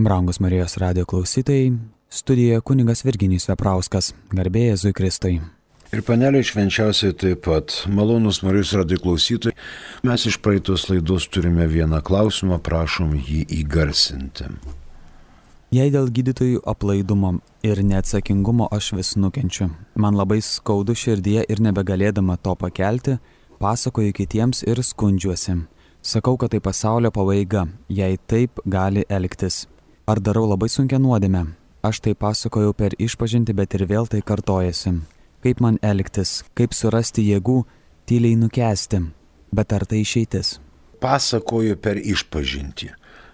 Brangus Marijos radijo klausytojai, studijoje kunigas Virginijus Veprauskas, garbė Jėzui Kristui. Ir paneliai švenčiausiai taip pat, malonus Marijos radijo klausytojai, mes iš praeitos laidos turime vieną klausimą, prašom jį įgarsinti. Jei dėl gydytojų aplaidumo ir neatsakingumo aš vis nukenčiu, man labai skaudu širdyje ir nebegalėdama to pakelti, pasakoju kitiems ir skundžiuosi. Sakau, kad tai pasaulio pabaiga, jei taip gali elgtis. Ar darau labai sunkią nuodėmę? Aš tai pasakojau per išpažintį, bet ir vėl tai kartojasi. Kaip man elgtis, kaip surasti jėgų, tyliai nukęsti, bet ar tai išeitis? Pasakoju per išpažintį.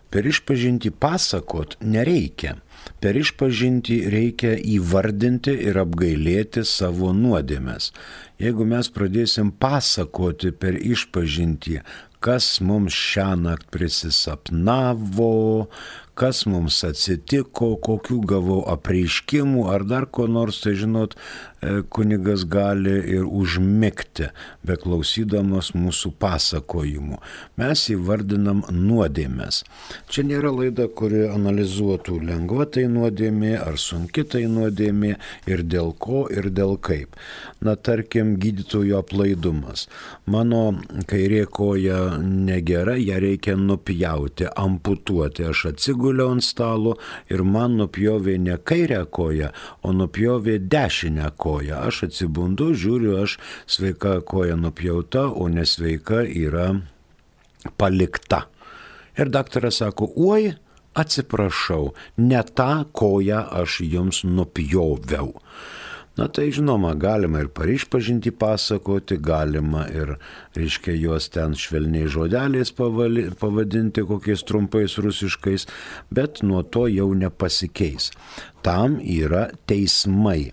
Per išpažintį pasakot nereikia. Per išpažintį reikia įvardinti ir apgailėti savo nuodėmes. Jeigu mes pradėsim pasakoti per išpažintį, kas mums šiąnakt prisisapnavo, kas mums atsitiko, kokių gavau apreiškimų ar dar ko nors, tai žinot, kunigas gali ir užmigti, beklausydamas mūsų pasakojimų. Mes įvardinam nuodėmes. Čia nėra laida, kuri analizuotų lengva tai nuodėmė ar sunki tai nuodėmė ir dėl ko ir dėl kaip. Na, tarkim, gydytojo aplaidumas. Mano kairė koja negera, ją reikia nupjauti, amputuoti. Aš atsiguliau ant stalo ir man nupjovė ne kairę koją, o nupjovė dešinę koją. Aš atsibundu, žiūriu, aš sveika koja nupjauta, o nesveika yra palikta. Ir daktaras sako, oi, atsiprašau, ne tą koją aš jums nupjoviau. Na tai žinoma, galima ir išpažintį pasakoti, galima ir, reiškia, juos ten švelniai žodeliais pavadinti kokiais trumpais rusiškais, bet nuo to jau nepasikeis. Tam yra teismai,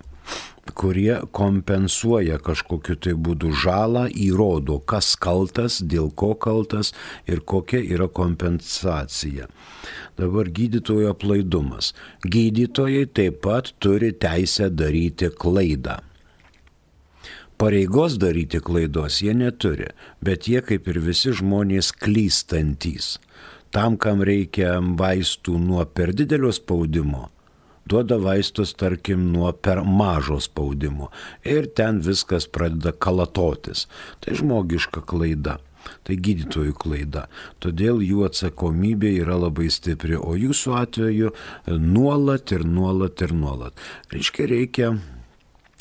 kurie kompensuoja kažkokiu tai būdu žalą, įrodo, kas kaltas, dėl ko kaltas ir kokia yra kompensacija. Dabar gydytojo aplaidumas. Gydytojai taip pat turi teisę daryti klaidą. Pareigos daryti klaidos jie neturi, bet jie kaip ir visi žmonės klystantys. Tam, kam reikia vaistų nuo per didelio spaudimo, duoda vaistus, tarkim, nuo per mažo spaudimo ir ten viskas pradeda kalatotis. Tai žmogiška klaida, tai gydytojų klaida. Todėl jų atsakomybė yra labai stipri, o jūsų atveju nuolat ir nuolat ir nuolat. Reikia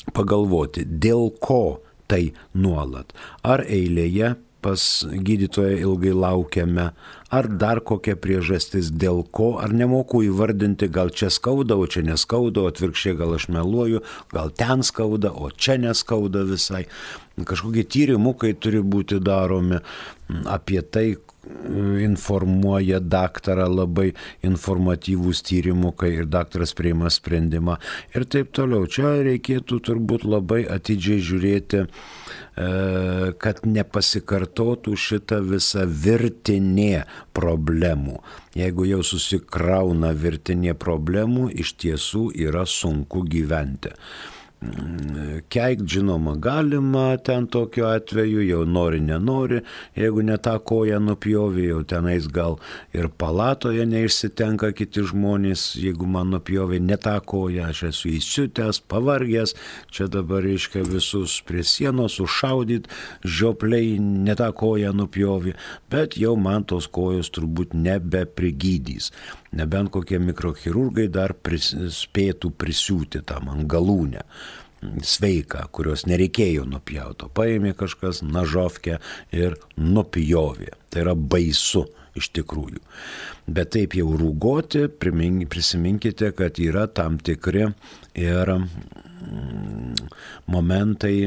pagalvoti, dėl ko tai nuolat. Ar eilėje pas gydytoją ilgai laukiame, ar dar kokia priežastis dėl ko, ar nemoku įvardinti, gal čia skauda, o čia neskauda, o atvirkščiai gal aš meluoju, gal ten skauda, o čia neskauda visai. Kažkokie tyrimukai turi būti daromi, apie tai informuoja daktarą labai informatyvūs tyrimukai ir daktaras priima sprendimą ir taip toliau. Čia reikėtų turbūt labai atidžiai žiūrėti, kad nepasikartotų šita visa virtinė problemų. Jeigu jau susikrauna virtinė problemų, iš tiesų yra sunku gyventi. Keikt, žinoma, galima ten tokiu atveju, jau nori, nenori, jeigu ne tą koją nupjovė, jau tenais gal ir palatoje neišsitenka kiti žmonės, jeigu man nupjovė ne tą koją, aš esu įsiutęs, pavargęs, čia dabar reiškia visus prie sienos užšaudyt, žiopliai ne tą koją nupjovė, bet jau man tos kojos turbūt nebeprigydys. Nebent kokie mikrochirurgai dar spėtų prisiūti tam ant galūnę sveiką, kurios nereikėjo nupjauto. Paėmė kažkas nažovkę ir nupjovė. Tai yra baisu iš tikrųjų. Bet taip jau rūgoti, prisiminkite, kad yra tam tikri ir momentai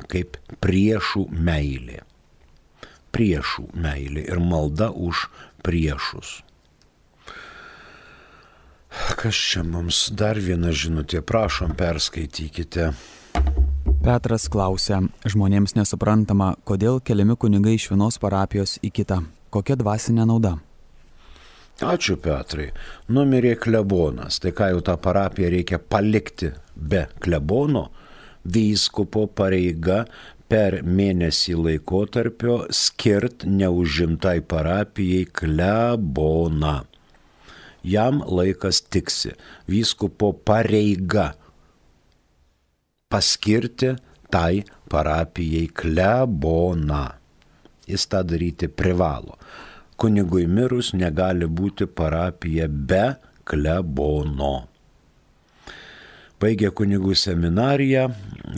kaip priešų meilė. Priešų meilė ir malda už priešus. Kas čia mums dar viena žinutė, prašom, perskaitykite. Petras klausia, žmonėms nesuprantama, kodėl keliami kunigai iš vienos parapijos į kitą. Kokia dvasinė nauda? Ačiū, Petrai. Numirė klebonas, tai ką jau tą parapiją reikia palikti be klebono? Vyskupo pareiga per mėnesį laikotarpio skirt neužimtai parapijai kleboną. jam laikas tiksi. Vyskupo pareiga paskirti tai parapijai kleboną. Jis tą daryti privalo. Kunigui mirus negali būti parapija be klebono. Baigę kunigų seminariją,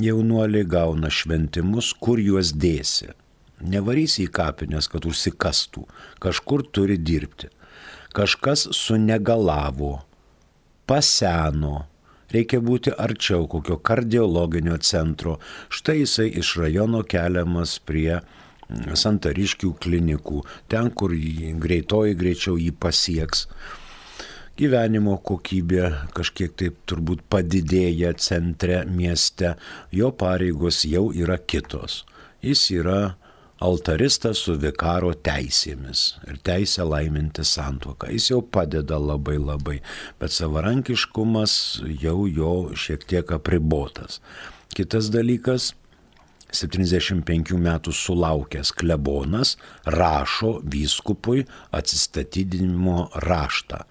jaunuoliai gauna šventimus, kur juos dėsi. Nevarysi į kapines, kad užsikastų. Kažkur turi dirbti. Kažkas sunegalavo, paseno. Reikia būti arčiau kokio kardiologinio centro. Štai jisai iš rajono keliamas prie Santariškių klinikų, ten, kur greitoji greičiau jį pasieks. Gyvenimo kokybė kažkiek taip turbūt padidėja centre, mieste, jo pareigos jau yra kitos. Jis yra altaristas su vikaro teisėmis ir teisė laiminti santuoką. Jis jau padeda labai, bet savarankiškumas jau jo šiek tiek apribotas. Kitas dalykas, 75 metų sulaukęs klebonas rašo vyskupui atsistatydinimo raštą.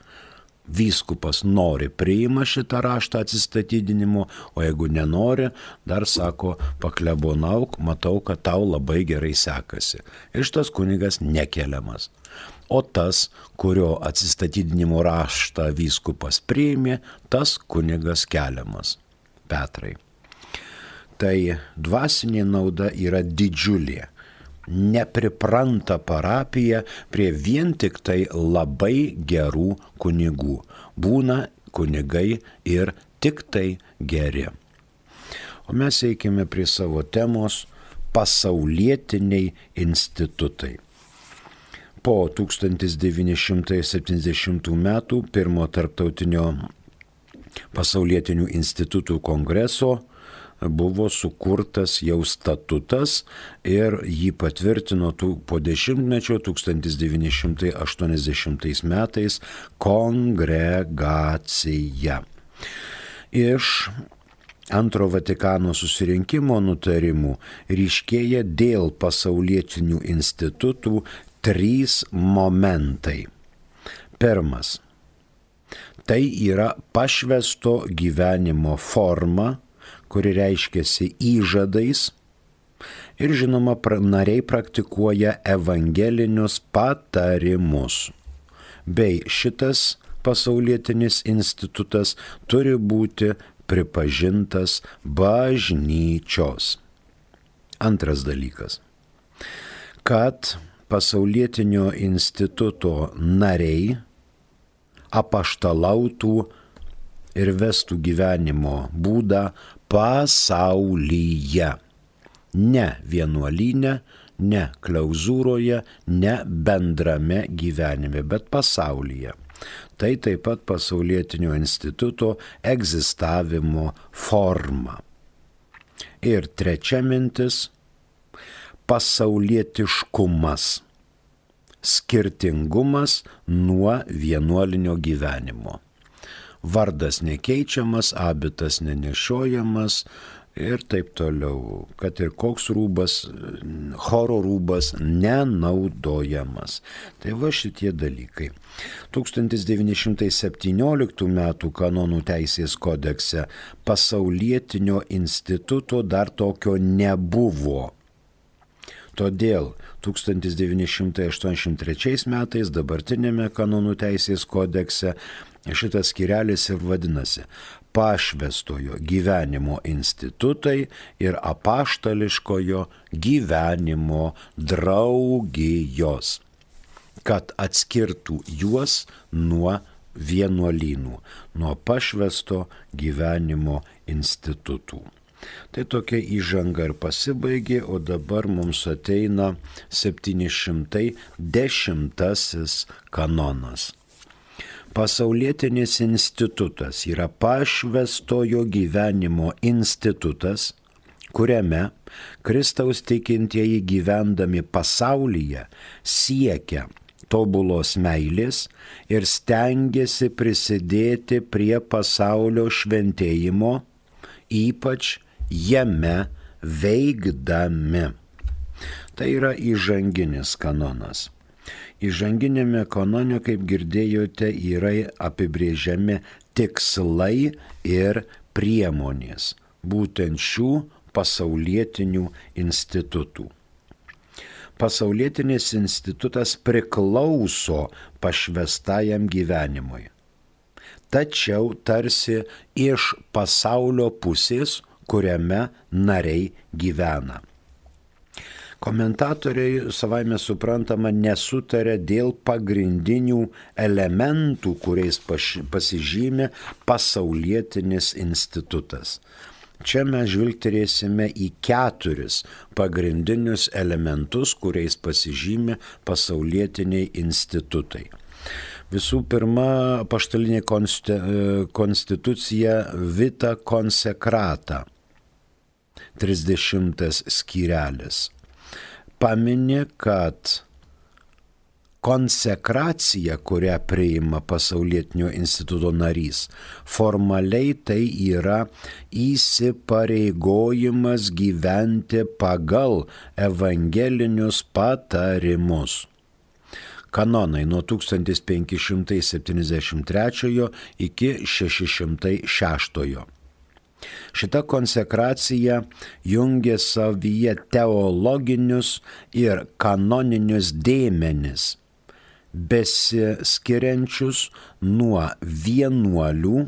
Vyskupas nori, priima šitą raštą atsistatydinimo, o jeigu nenori, dar sako, paklebonauk, matau, kad tau labai gerai sekasi. Ir šitas kunigas nekeliamas. O tas, kurio atsistatydinimo raštą vyskupas priėmė, tas kunigas keliamas. Petrai. Tai dvasinė nauda yra didžiulė. Nepripranta parapija prie vien tik tai labai gerų kunigų. Būna kunigai ir tik tai geri. O mes eikime prie savo temos pasaulietiniai institutai. Po 1970 metų pirmo tarptautinio pasaulietinių institutų kongreso buvo sukurtas jau statutas ir jį patvirtino po dešimtmečio 1980 metais kongregacija. Iš Antro Vatikano susirinkimo nutarimų ryškėja dėl pasaulietinių institutų 3 momentai. Pirmas. Tai yra pašvęsto gyvenimo forma, kuri reiškiasi įžadais ir žinoma nariai praktikuoja evangelinius patarimus. Bei šitas pasaulietinis institutas turi būti pripažintas bažnyčios. Antras dalykas. Kad pasaulietinio instituto nariai apaštalautų ir vestų gyvenimo būdą pasaulyje. Ne vienuolyne, ne klauzūroje, ne bendrame gyvenime, bet pasaulyje. Tai taip pat pasaulietinio instituto egzistavimo forma. Ir trečia mintis – pasaulietiškumas. Skirtingumas nuo vienuolinio gyvenimo. Vardas nekeičiamas, abitas nenešiojamas ir taip toliau, kad ir koks rūbas, choro rūbas nenaudojamas. Tai va šitie dalykai. 1917 metų kanonų teisės kodekse pasaulietinio instituto dar tokio nebuvo. Todėl 1983 metais dabartinėme kanonų teisės kodekse šitas skyrelis ir vadinasi pašvęstojo gyvenimo institutai ir apaštališkojo gyvenimo draugijos, kad atskirtų juos nuo vienuolynų, nuo pašvęsto gyvenimo institutų. Tai tokia įžanga ir pasibaigė, o dabar mums ateina 710 kanonas. Pasaulietinis institutas yra pašvęstojo gyvenimo institutas, kuriame Kristaus tikintieji gyvendami pasaulyje siekia tobulos meilės ir stengiasi prisidėti prie pasaulio šventėjimo, ypač jame veikdami. Tai yra įžanginis kanonas. Įžanginėme kanone, kaip girdėjote, yra apibrėžiami tikslai ir priemonės būtent šių pasaulietinių institutų. Pasaulietinis institutas priklauso pašvęstajam gyvenimui. Tačiau tarsi iš pasaulio pusės, kuriame nariai gyvena. Komentatoriai savaime suprantama nesutarė dėl pagrindinių elementų, kuriais pasižymė pasaulietinis institutas. Čia mes žvilgterėsime į 4 pagrindinius elementus, kuriais pasižymė pasaulietiniai institutai. Visų pirma, apaštalinė konstitucija Vita Consecrata, 30 skyrelis. Pamini, kad konsekracija, kurią priima pasaulietinio instituto narys, formaliai tai yra įsipareigojimas gyventi pagal evangelinius patarimus. Kanonai nuo 1573 iki 606. Šita konsekracija jungia savyje teologinius ir kanoninius dėmenis, besiskiriančius nuo vienuolių,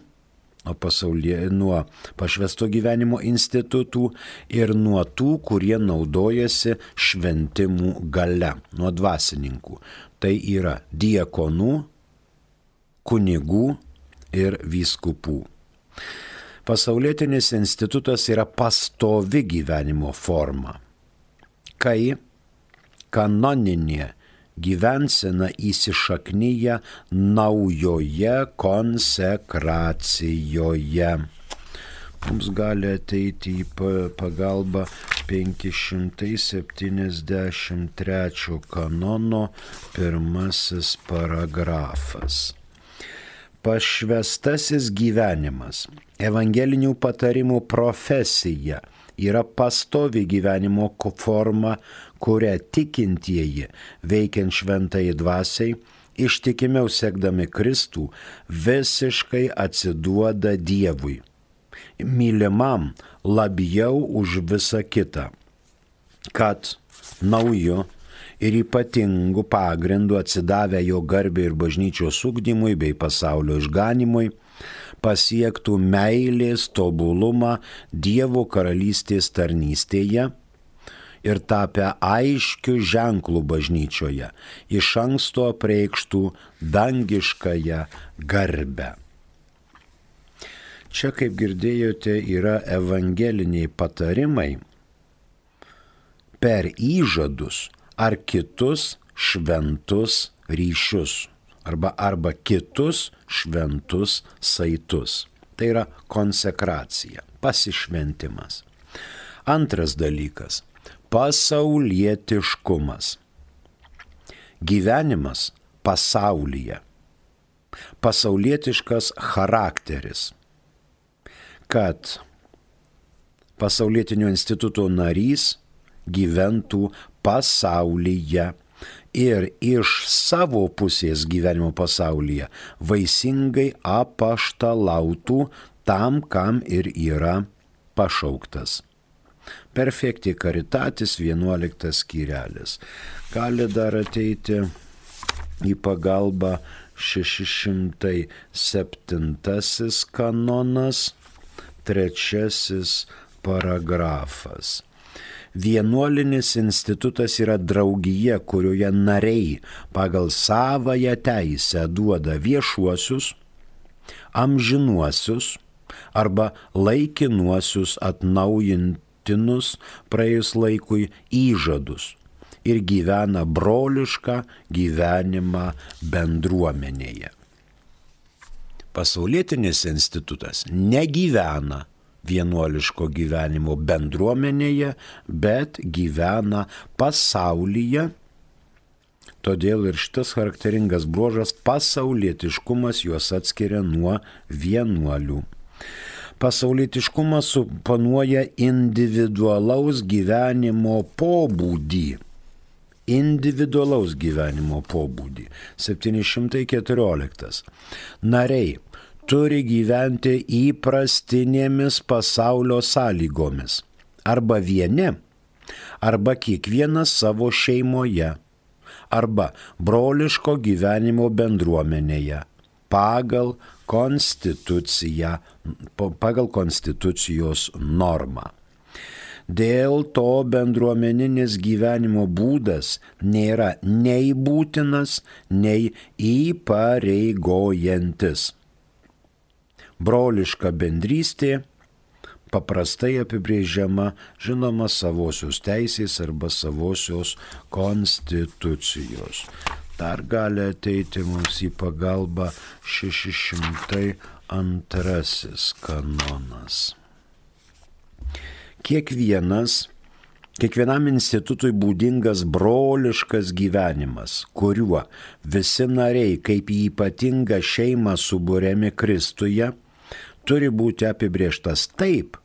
nuo pašvęsto gyvenimo institutų ir nuo tų, kurie naudojasi šventimų galia, nuo dvasininkų. Tai yra diakonų, kunigų ir vyskupų. Pasaulietinis institutas yra pastovi gyvenimo forma, kai kanoninė gyvensena įsišaknyja naujoje konsekracijoje. Mums gali ateiti į pagalbą 573 kanono 1 paragrafas. Pašvęstasis gyvenimas, evangelinių patarimų profesija yra pastovi gyvenimo forma, kurią tikintieji, veikiant šventai dvasiai, ištikimiau sekdami Kristų, visiškai atsiduoda Dievui, mylimam labiau už visą kitą, kad nauju ir ypatingų pagrindų atsidavę jo garbei ir bažnyčios ugdymui bei pasaulio išganimui, pasiektų meilės tobulumą Dievo karalystės tarnystėje ir tapę aiškių ženklų bažnyčioje, iš anksto apreikštų dangiškąją garbę. Čia, kaip girdėjote, yra evangeliniai patarimai per įžadus ar kitus šventus ryšius, arba kitus šventus saitus. Tai yra konsekracija, pasišventimas. Antras dalykas – pasaulietiškumas. Gyvenimas pasaulyje. Pasaulietiškas charakteris. Kad pasaulietinio instituto narys gyventų pasaulyje ir iš savo pusės gyvenimo pasaulyje vaisingai apaštalautų tam, kam ir yra pašauktas. Perfecti caritatis 11 skyrelis. Gali dar ateiti į pagalbą 607 kanonas, 3 paragrafas. Vienuolinis institutas yra draugija, kurioje nariai pagal savąją teisę duoda viešuosius, amžinuosius arba laikinuosius atnaujintinus praėjus laikui įžadus ir gyvena brolišką gyvenimą bendruomenėje. Pasaulietinis institutas negyvena vienuoliško gyvenimo bendruomenėje, bet gyvena pasaulyje. Todėl ir šitas charakteringas bruožas pasaulietiškumas juos atskiria nuo vienuolių. Pasaulietiškumas suponuoja individualaus gyvenimo pobūdį individualaus gyvenimo pobūdį. 714. Nariai turi gyventi įprastinėmis pasaulio sąlygomis. Arba vieni, arba kiekvienas savo šeimoje, arba broliško gyvenimo bendruomenėje, pagal konstitucijos normą. Dėl to bendruomeninis gyvenimo būdas nėra nei būtinas, nei įpareigojantis. Broliška bendrystė paprastai apibrėžiama, žinoma, savosios teisės arba savosios konstitucijos. Dar gali ateiti mums į pagalbą 602 kanonas. Kiekvienam institutui būdingas broliškas gyvenimas, kuriuo visi nariai kaip į ypatingą šeimą suburiami Kristuje, turi būti apibrėžtas taip,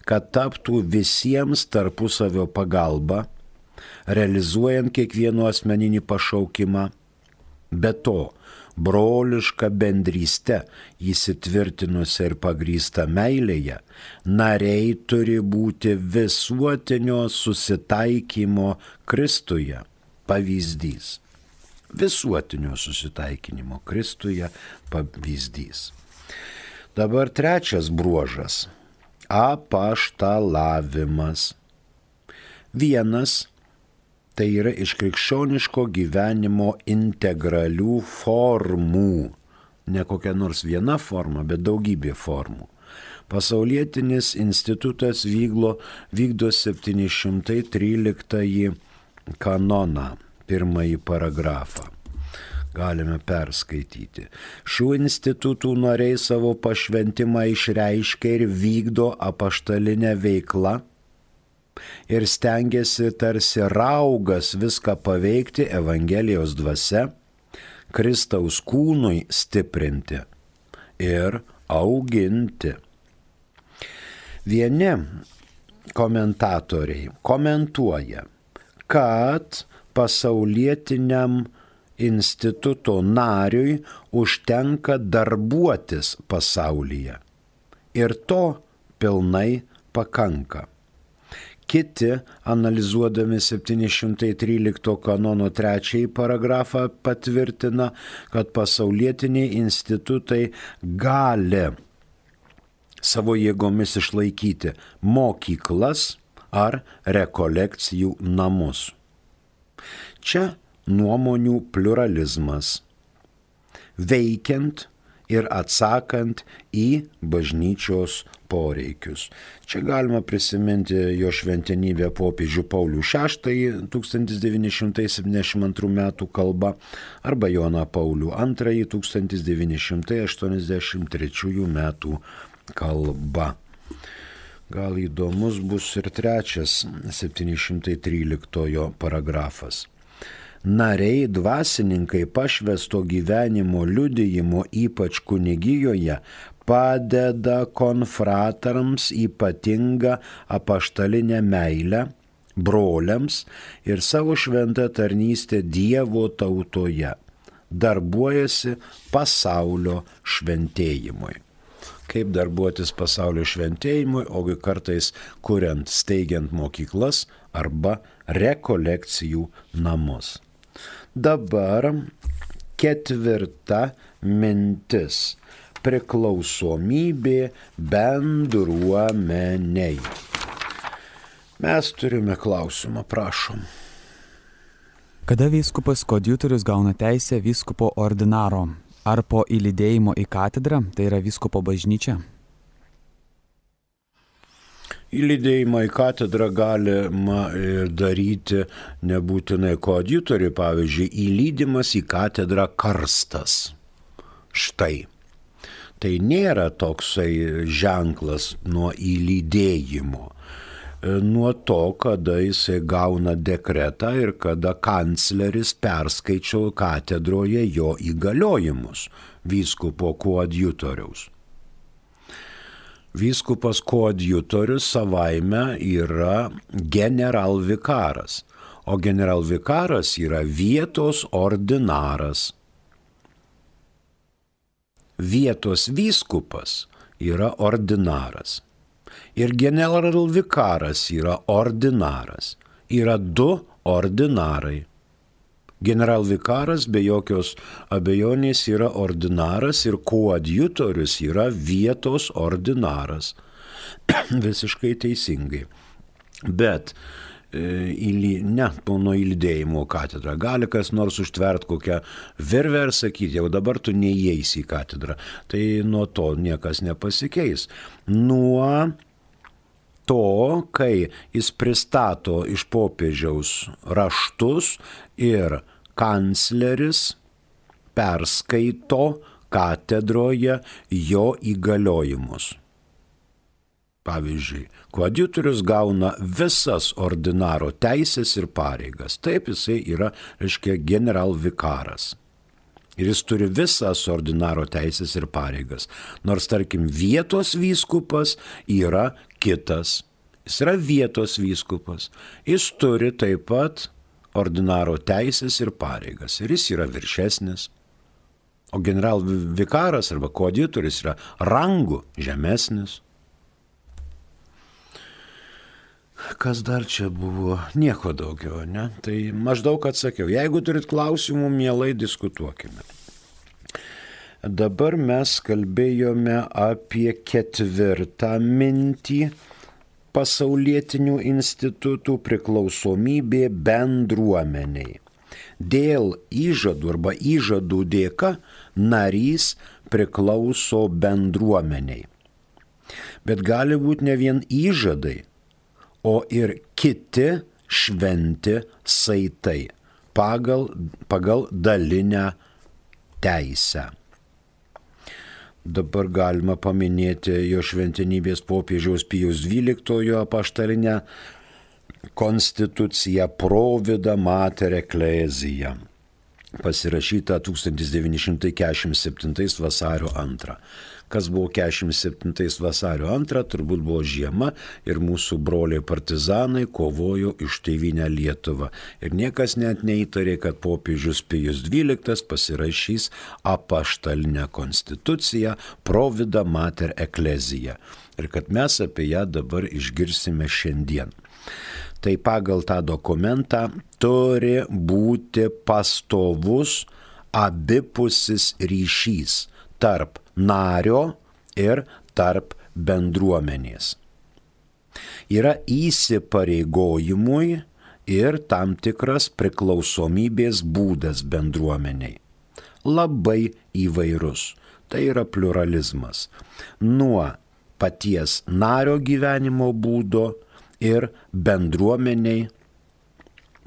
kad taptų visiems tarpusavio pagalba, realizuojant kiekvieno asmeninį pašaukimą. Be to, broliška bendryste įsitvirtinusi ir pagrįsta meilėje, nariai turi būti visuotinio susitaikymo Kristuje pavyzdys. Visuotinio susitaikinimo Kristuje pavyzdys. Dabar trečias bruožas – apaštalavimas. Vienas – tai yra iš krikščioniško gyvenimo integralių formų. Ne kokia nors viena forma, bet daugybė formų. Pasaulietinis institutas vykdo 713 kanoną, pirmąjį paragrafą. Galime perskaityti. Šių institutų nariai savo pašventimą išreiškia ir vykdo apaštalinę veiklą ir stengiasi tarsi raugas viską paveikti Evangelijos dvasia, Kristaus kūnui stiprinti ir auginti. Vieni komentatoriai komentuoja, kad pasaulietiniam instituto nariui užtenka darbuotis pasaulyje ir to pilnai pakanka. Kiti, analizuodami 713 kanono 3 paragrafą, patvirtina, kad pasaulietiniai institutai gali savo jėgomis išlaikyti mokyklas ar rekolekcijų namus. Čia nuomonių pluralizmas, veikiant ir atsakant į bažnyčios poreikius. Čia galima prisiminti jo šventenybę popiežių Paulių VI 1972 metų kalbą arba Joną Paulių II 1983 metų kalba. Gal įdomus bus ir trečias 713 paragrafas. Nariai dvasininkai pašvęsto gyvenimo liudijimo, ypač kunigijoje, padeda konfratams ypatingą apaštalinę meilę, broliams ir savo šventą tarnystę Dievo tautoje, darbuojasi pasaulio šventėjimui. Kaip darbuotis pasaulio šventėjimui, ogi kartais kuriant, steigiant mokyklas arba rekolekcijų namus. Dabar ketvirta mintis – priklausomybė bendruomeniai. Mes turime klausimą, prašom. Kada vyskupas koadjutorius gauna teisę vyskupo ordinaro? Ar po įlydėjimo į katedrą, tai yra vyskupo bažnyčia? Įlydėjimą į katedrą galima daryti nebūtinai koadjutoriui, pavyzdžiui, įlydimas į katedrą karstas. Štai. Tai nėra toksai ženklas nuo įlydėjimo. Nuo to, kada jisai gauna dekretą ir kada kancleris perskaičia katedroje jo įgaliojimus vyskupo koadjutoriaus. Vyskupas koadjutorius savaime yra generalvikaras, o generalvikaras yra vietos ordinaras. Vietos vyskupas yra ordinaras. Ir generalvikaras yra ordinaras. Yra du ordinarai. Generalvikaras be jokios abejonės yra ordinaras ir koadjutorius yra vietos ordinaras. Visiškai teisingai. Bet pono įlydėjimo katedrą gali kas nors užtvert kokią virvę ir sakyti, jau dabar tu neįeisi į katedrą. Tai nuo to niekas nepasikeis. Nuo to, kai jis pristato iš popiežiaus raštus ir kancleris perskaito katedroje jo įgaliojimus. Pavyzdžiui, koadjutorius gauna visas ordinaro teisės ir pareigas. Taip jisai yra, generalvikaras. Ir jis turi visas ordinaro teisės ir pareigas. Nors, tarkim, vietos vyskupas yra kitas. Jis yra vietos vyskupas. Jis turi taip pat ordinaro teisės ir pareigas. Ir jis yra viršesnis. O generalvikaras arba koadjutorius yra rangų žemesnis. Kas dar čia buvo? Nieko daugiau, ne? Tai maždaug atsakiau. Jeigu turit klausimų, mielai diskutuokime. Dabar mes kalbėjome apie ketvirtą mintį pasaulietinių institutų priklausomybė bendruomeniai. Dėl įžadų arba įžadų dėka narys priklauso bendruomeniai. Bet gali būti ne vien įžadai, o ir kiti šventi saitai pagal dalinę teisę. Dabar galima paminėti jo šventenybės popiežiaus Pijaus XII apaštalinę konstituciją Provida Mater Ecclesiae, pasirašyta 1947 vasario 2. Kas buvo 47 vasario 2, turbūt buvo žiema ir mūsų broliai partizanai kovojo už tėvynę Lietuvą. Ir niekas net neįtarė, kad popiežius Pijus XII pasirašys apaštalinę konstituciją Provida Mater Ecclesiae. Ir kad mes apie ją dabar išgirsime šiandien. Tai pagal tą dokumentą turi būti pastovus abipusis ryšys tarp nario ir tarp bendruomenės. Yra įsipareigojimui ir tam tikras priklausomybės būdas bendruomeniai. Labai įvairus. Tai yra pluralizmas. Nuo paties nario gyvenimo būdo ir bendruomeniai,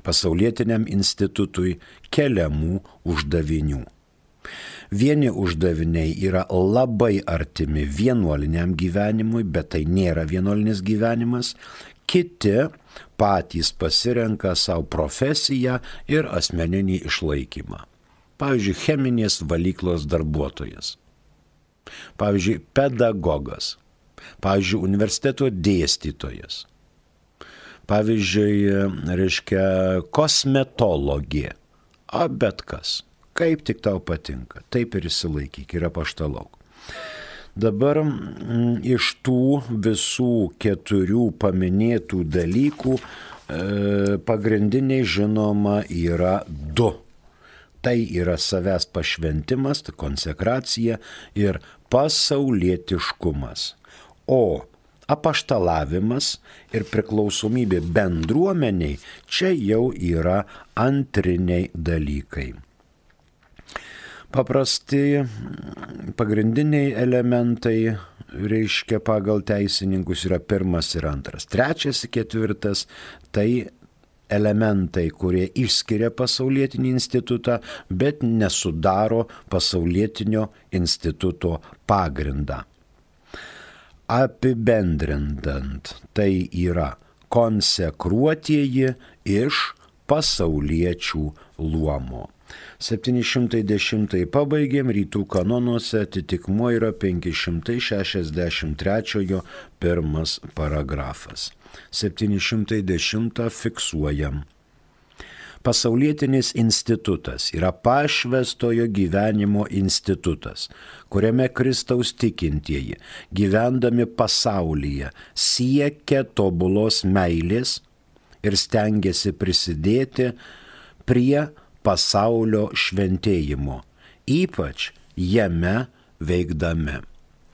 pasaulietiniam institutui keliamų uždavinių. Vieni uždaviniai yra labai artimi vienuoliniam gyvenimui, bet tai nėra vienuolinis gyvenimas. Kiti patys pasirenka savo profesiją ir asmeninį išlaikymą. Pavyzdžiui, cheminės valyklos darbuotojas. Pavyzdžiui, pedagogas. Pavyzdžiui, universiteto dėstytojas. Pavyzdžiui, kosmetologė. Bet kas. Kaip tik tau patinka, taip ir išsilaikyk ir apaštalauk. Dabar iš tų visų 4 paminėtų dalykų pagrindiniai žinoma yra 2. Tai yra savęs pašventimas, tai konsekracija ir pasaulietiškumas. O apaštalavimas ir priklausomybė bendruomeniai čia jau yra antriniai dalykai. Paprasti pagrindiniai elementai, pagal teisininkus yra 1 ir 2. 3 ir 4 tai elementai, kurie išskiria pasaulietinį institutą, bet nesudaro pasaulietinio instituto pagrindą. Apibendrinant, tai yra konsekruotieji iš pasauliečių luomo. 710 pabaigėm, rytų kanonuose atitikmuo yra 563 1 paragrafas. 710 fiksuojam. Pasaulietinis institutas yra pašvęstojo gyvenimo institutas, kuriame Kristaus tikintieji, gyvendami pasaulyje, siekia tobulos meilės ir stengiasi prisidėti prie pasaulio šventėjimo, ypač jame veikdami.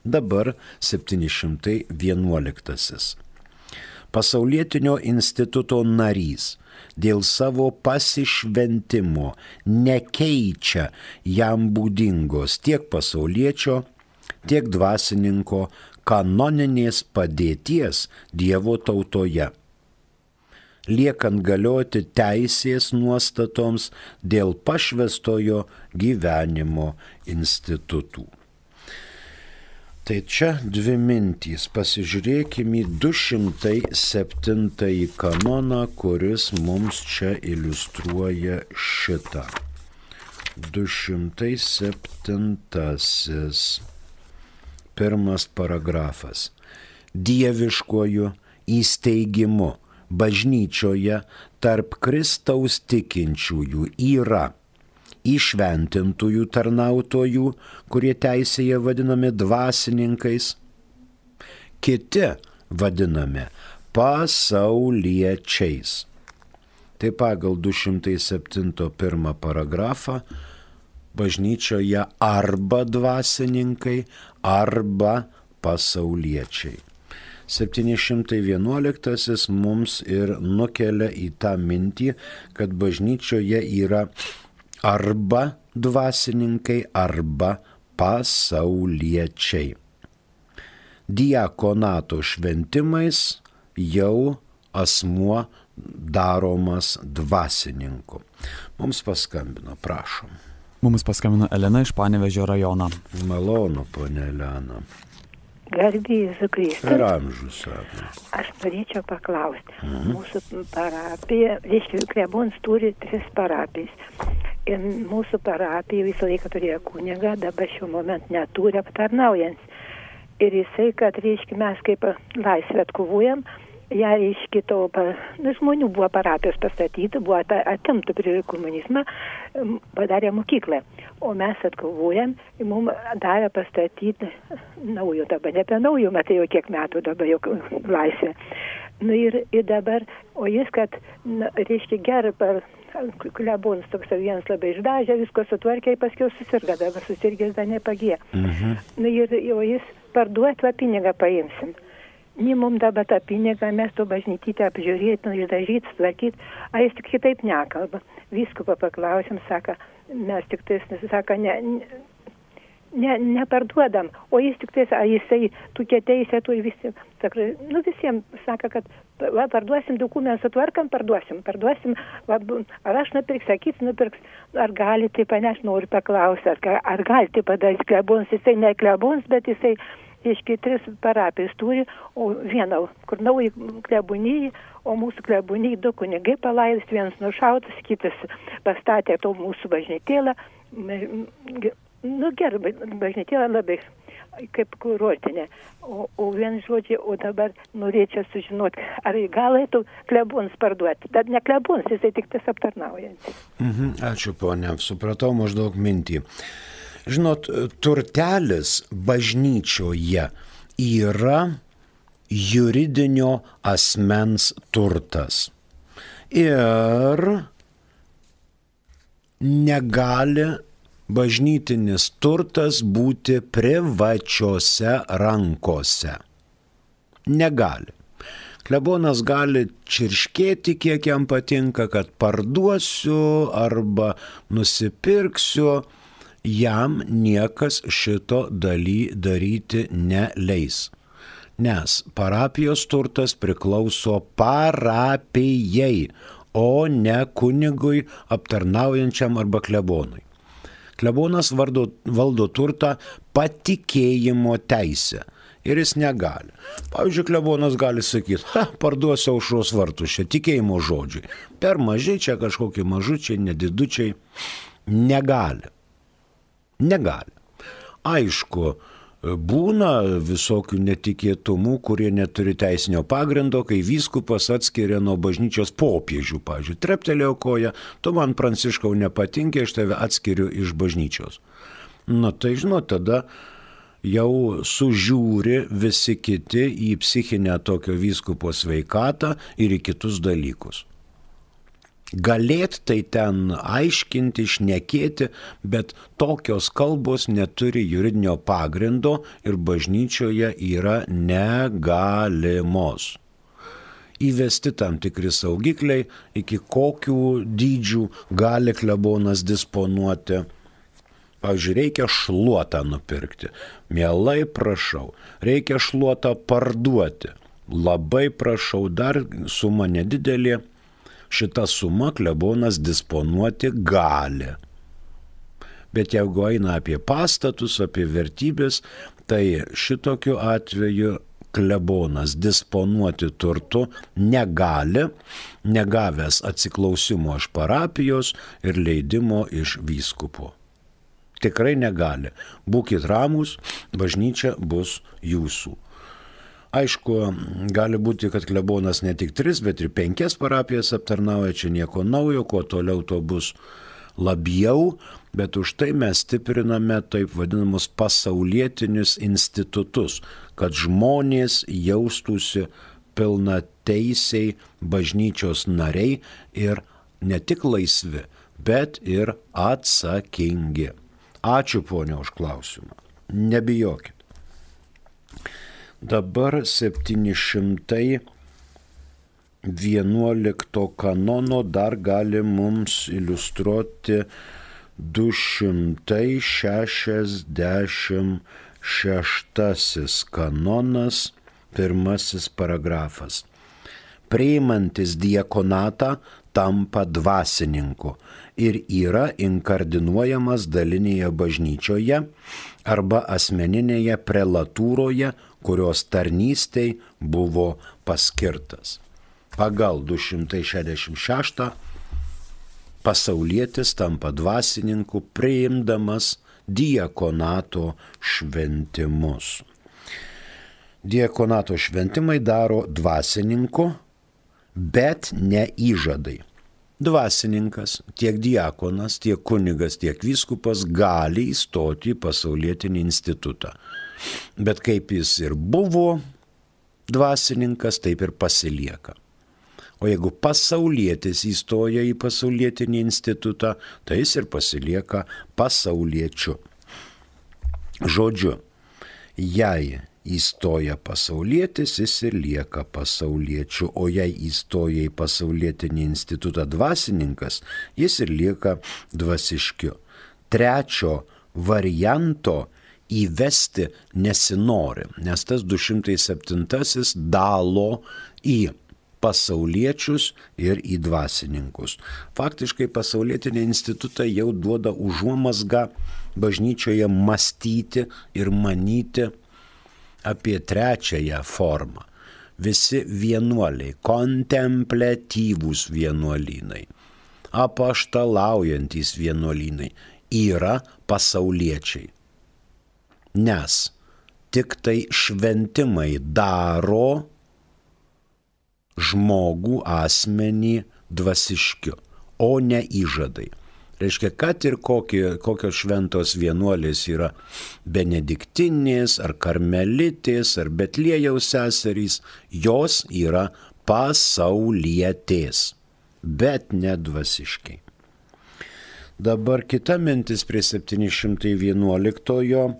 Dabar 711. Pasaulietinio instituto narys dėl savo pasišventimo nekeičia jam būdingos tiek pasauliečio, tiek dvasininko kanoninės padėties Dievo tautoje, liekant galioti teisės nuostatoms dėl pašvęstojo gyvenimo institutų. Tai čia dvi mintys. Pasižiūrėkime į 207 kanoną, kuris mums čia iliustruoja šitą. 207. Pirmas paragrafas. Dieviškuoju įsteigimu bažnyčioje tarp Kristaus tikinčiųjų yra įšventintųjų tarnautojų, kurie teisėje vadinami dvasininkais, kiti vadinami pasauliečiais. Tai pagal 207 paragrafą bažnyčioje arba dvasininkai, arba pasauliečiai. 711 mums ir nukelia į tą mintį, kad bažnyčioje yra arba dvasininkai, arba pasauliečiai. Diakonato šventimais jau asmuo daromas dvasininku. Mums paskambino, prašom. Mums paskambino Elena iš Panevėžio rajono. Malonu, ponia Elena. Garbė Jėzų Kristų. Per amžius. Aš norėčiau paklausti. Mūsų parapija, reiškia, klebonas turi 3 parapijas. Ir mūsų parapija visą laiką turėjo kunigą, dabar šiuo momentu neturi aptarnaujant. Ir jisai, kad, reiškia, mes kaip laisvę atkovojam, ją, reiškia, žmonių buvo parapijos pastatyti, buvo atimta prie komunizmą, padarė mokyklą. O mes atkovojam, mums davė pastatyti naujo dabar, ne apie naujo, matai jau kiek metų dabar jau laisvė. Nu ir dabar, o jis, kad, reiškia, gerai per klebonas toks vienas labai išdažė, visko sutvarkė, paskiau susirga, dabar susirgęs dar nepagijo. Nu ir o jis parduoti, va pinigą paimsim. Ne mums dabar tą pinigą, mes to bažnytytę apžiūrėti, išdažyti, sutvarkyti, a jis tik kitaip nekalba. Viskupą paklausim, sako, mes tik tais, sako, neparduodam, o jis tik tais, a jisai tokia teisė turi visi, sako, nu visiems sako, kad va, parduosim dokumentus, sutvarkam, parduosim, va, ar aš nupirks, sakys, nupirks, ar gali tai panešti, noriu paklausti, ar gali tai padaryti klebonas, jisai ne klebonas, bet jisai, reiškia, 3 parapijas turi, o vieną, kur nauji klebonijai, o mūsų klebonijai 2 kunigai palaidus, vienas nušautas, kitas pastatė to mūsų bažnytėlą, nu gerai, bažnytėlą labai kaip kurortinė, o vien žodžiai, o dabar norėčiau sužinoti, ar galėtų klebonas parduoti, bet ne klebonas, jisai tik tas aptarnaujantis. Ačiū, ponia, supratau maždaug mintį. Žinot, turtelis bažnyčioje yra juridinio asmens turtas ir negali bažnytinis turtas būti privačiose rankose. Negali. Klebonas gali čirškėti, kiek jam patinka, kad parduosiu arba nusipirksiu. Jam niekas šito daryti neleis. Nes parapijos turtas priklauso parapijai, o ne kunigui aptarnaujančiam arba klebonui. Klebonas valdo turtą patikėjimo teisę ir jis negali. Pavyzdžiui, klebonas gali sakyti, parduosiu Aušros vartus, čia tikėjimo žodžiai. Per mažai, čia kažkokie mažučiai, nedidučiai. Negali. Aišku, Būna visokių netikėtumų, kurie neturi teisinio pagrindo, kai vyskupas atskiria nuo bažnyčios popiežių. Pavyzdžiui, treptelėjo koja, tu man, Pranciškau, nepatinki, aš tave atskiriu iš bažnyčios. Na tai žinot, tada jau sužiūri visi kiti į psichinę tokio vyskupo sveikatą ir į kitus dalykus. Galėt tai ten aiškinti, šnekėti, bet tokios kalbos neturi juridinio pagrindo ir bažnyčioje yra negalimos. Įvesti tam tikri saugikliai, iki kokių dydžių gali klebonas disponuoti. Pavyzdžiui, reikia šluotą nupirkti. Mielai prašau, reikia šluotą parduoti. Labai prašau, dar suma nedidelė. Šitą sumą klebonas disponuoti gali. Bet jeigu eina apie pastatus, apie vertybės, tai šitokiu atveju klebonas disponuoti turtu negali, negavęs atsiklausimo iš parapijos ir leidimo iš vyskupo. Tikrai negali. Būkit ramūs, bažnyčia bus jūsų. Aišku, gali būti, kad klebonas ne tik 3, bet ir 5 parapijas aptarnauja, čia nieko naujo, kuo toliau to bus labiau, bet už tai mes stipriname taip vadinamus pasaulietinius institutus, kad žmonės jaustųsi pilnateisiai bažnyčios nariai ir ne tik laisvi, bet ir atsakingi. Ačiū, ponia, už klausimą. Nebijokit. Dabar 711 kanono dar gali mums iliustruoti 266 kanonas, 1 paragrafas. Priimantis diakonatą tampa dvasininku ir yra inkardinuojamas dalinėje bažnyčioje arba asmeninėje prelatūroje, kurios tarnystei buvo paskirtas. Pagal 266 pasaulietis tampa dvasininku priimdamas diakonato šventimus. Diakonato šventimai daro dvasininku, bet ne įžadai. Dvasininkas, tiek diakonas, tiek kunigas, tiek vyskupas gali įstoti į pasaulietinį institutą. Bet kaip jis ir buvo dvasininkas, taip ir pasilieka. O jeigu pasaulietis įstoja į pasaulietinį institutą, tai jis ir pasilieka pasauliečiu. Žodžiu, jei įstoja pasaulietis, jis ir lieka pasauliečiu, o jei įstoja į pasaulietinį institutą dvasininkas, jis ir lieka dvasiškiu. Trečio varianto įvesti nesinori, nes tas 207 dalo į pasauliečius ir į dvasininkus. Faktiškai pasaulietinė institutą jau duoda užuomazgą bažnyčioje mąstyti ir manyti apie trečiąją formą. Visi vienuoliai, kontempliatyvūs vienuolynai, apaštalaujantys vienuolynai yra pasauliečiai. Nes tik tai šventimai daro žmogų asmenį dvasiškiu, o ne įžadai. Reiškia, kad ir kokios šventos vienuolės yra benediktinės, ar karmelitės, ar Betliejaus seserys, jos yra pasaulietės, bet ne dvasiškiai. Dabar kita mintis prie 711,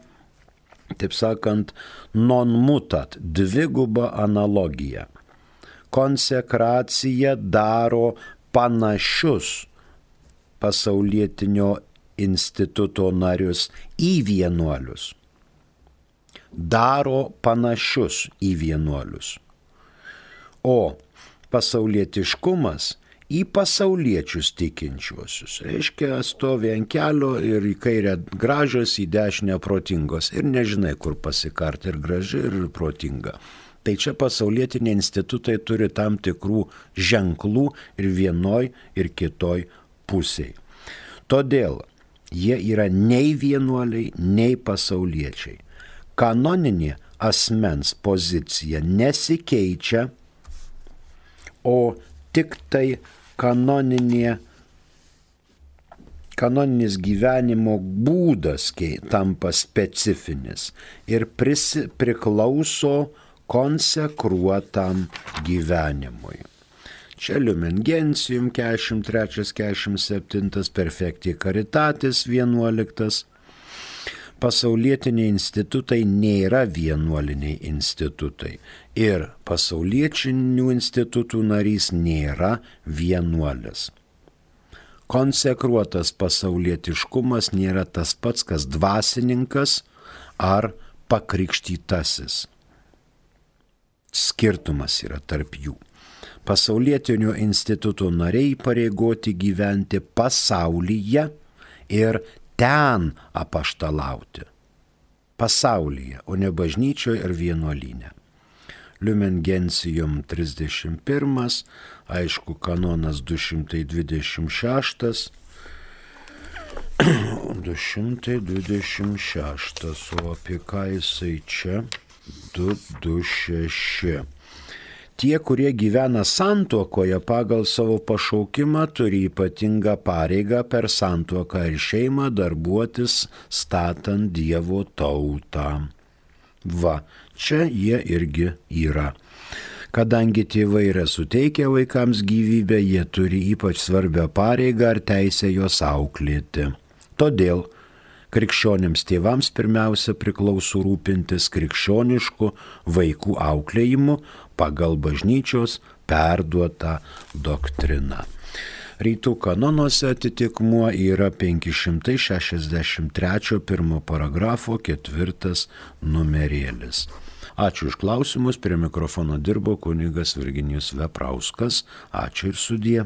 taip sakant, non mutat, dviguba analogija. Konsekracija daro panašius pasaulietinio instituto narius į vienuolius. Daro panašius į vienuolius. O pasaulietiškumas į pasauliečius tikinčiuosius. Reiškia, stovi ant kelio ir į kairę gražios, į dešinę protingos. Ir nežinai, kur pasikarti, ir graži, ir protinga. Tai čia pasaulietiniai institutai turi tam tikrų ženklų ir vienoj, ir kitoj pusėj. Todėl jie yra nei vienuoliai, nei pasauliečiai. kanoninė asmens pozicija nesikeičia, o tik tai kanoninis gyvenimo būdas tampa specifinis ir priklauso konsekruotam gyvenimui. Čia Lumen Gentium 43-47, Perfecti Caritatis 11. Pasaulietiniai institutai nėra vienuoliniai institutai ir pasaulietinių institutų narys nėra vienuolis. Konsekruotas pasaulietiškumas nėra tas pats, kas dvasininkas ar pakrikštytasis. Skirtumas yra tarp jų. Pasaulietinių institutų nariai pareigoti gyventi pasaulyje ir ten apaštalauti. Pasaulyje, o ne bažnyčioje ir vienuolyne. Lumen Gentium 31, aišku, kanonas 226, 226, o apie ką jisai čia? 226. Tie, kurie gyvena santuokoje pagal savo pašaukimą, turi ypatingą pareigą per santuoką ir šeimą darbuotis statant Dievo tautą. Va, čia jie irgi yra. Kadangi tėvai yra suteikę vaikams gyvybę, jie turi ypač svarbią pareigą ar teisę juos auklėti. Todėl krikščionims tėvams pirmiausia priklauso rūpintis krikščionišku vaikų auklėjimu pagal bažnyčios perduotą doktriną. Rytų kanonuose atitikmuo yra 563 pirmo paragrafo 4 numerėlis. Ačiū už klausimus, prie mikrofono dirbo kunigas Virginijus Veprauskas. Ačiū ir sudie.